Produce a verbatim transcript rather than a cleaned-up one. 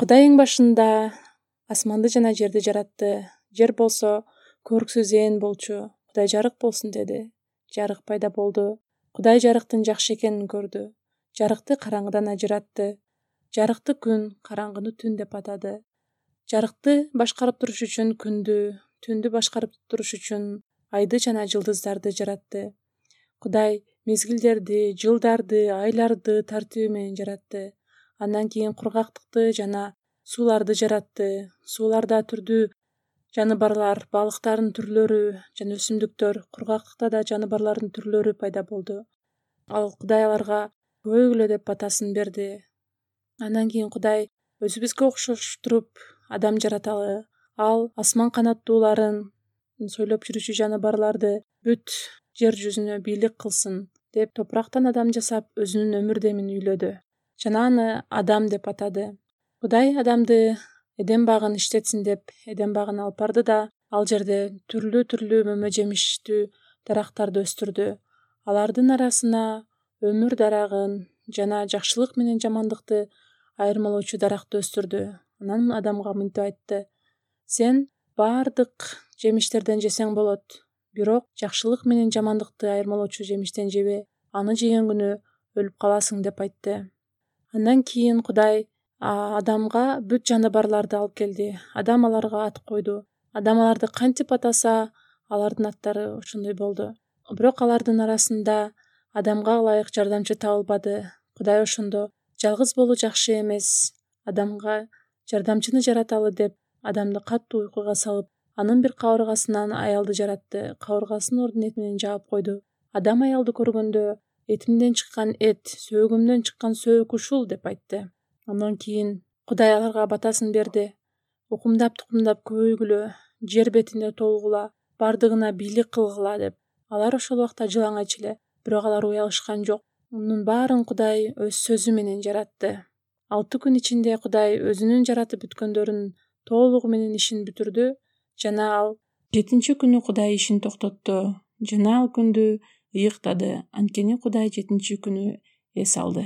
Кудай эң башында асманды жана жерди жаратты. Жер болсо көрүксүз ээн болчу. Кудай жарык болсун деди. Жарык пайда болду. Кудай жарыктын жакшы экенин көрдү. Жарыкты караңгыдан ажыратты. Жарыкты күн, караңгыны түн деп атады. Жарыкты башкарып туруш үчүн күндү, түндү башкарып туруш үчүн айды жана жылдыздарды жаратты. Кудай мезгилдерди, жылдарды, айларды тартиби менен жаратты. Андан кийин кургактыкты жана сууларды жаратты. Сууларда түрдүү жаныбарлар, балыктардын түрлөрү жана өсүмдүктөр, кургактыкта да жаныбарлардын түрлөрү пайда болду. Ал Кудай аларга көбөйгүлө деп батасын берди. Андан кийин Кудай өзүбүзгө окшоштуруп адам жараталы. Ал асман канаттууларын, сойлоп жүрүүчү жаныбарларды бүт жер жүзүнө бийлик кылсын деп топурактан адам жасап, өзүнүн өмүр демин үйлөдү жана аны Адам деп атады. Кудай адамды Эдем багын иштетсин деп Эдем багына алып барды да, ал жерде түрлүү-түрлүү мөмө жемиштүү дарактарды өстүрдү. Алардын арасына өмүр дарагын жана жакшылык менен жамандыкты айырмалоочу даракты өстүрдү. Анан Адамга мынтип айтты: сен баардык жемиштерден жесең болот, бирок жакшылык менен жамандыкты айырмалоочу жемиштен жебе. Аны жеген күнү өлүп каласың деп айтты. Андан кийин Кудай Адамга бүт жаныбарларды алып келди. Адам аларга ат койду. Адам аларды кантип атаса, алардын аттары ошондой болду. Бирок алардын арасында Адамга ылайык жардамчы табылбады. Кудай ошондо жалгыз болуу жакшы эмес, Адамга жардамчыны жараталы деп Адамды катуу уйкуга салып, анын бир кабыргасынан аялды жаратты. Кабыргасын ордун эти менен жаап койду. Адам аялды көргөндө: этимден чыккан эт, сөөгүмдөн чыккан сөөк ушул деп айтты. Андан кийин Кудай аларга батасын берди: укумдап-тукумдап көбөйгүлө, жер бетине толгула, бардыгына бийлик кылгыла деп. Алар ошол убакта жылаңач эле, бирок алар уялышкан жок. Мунун баарын Кудай өз сөзү менен жаратты. Алты күн ичинде Кудай өзүнүн жаратып бүткөндөрүнүн толугу менен ишин бүтүрдү жана ал жетинчи күнү Кудай ишин токтотту жана ал күндү ыйыктады. Анткени Кудай жетинчи күнү эс алды.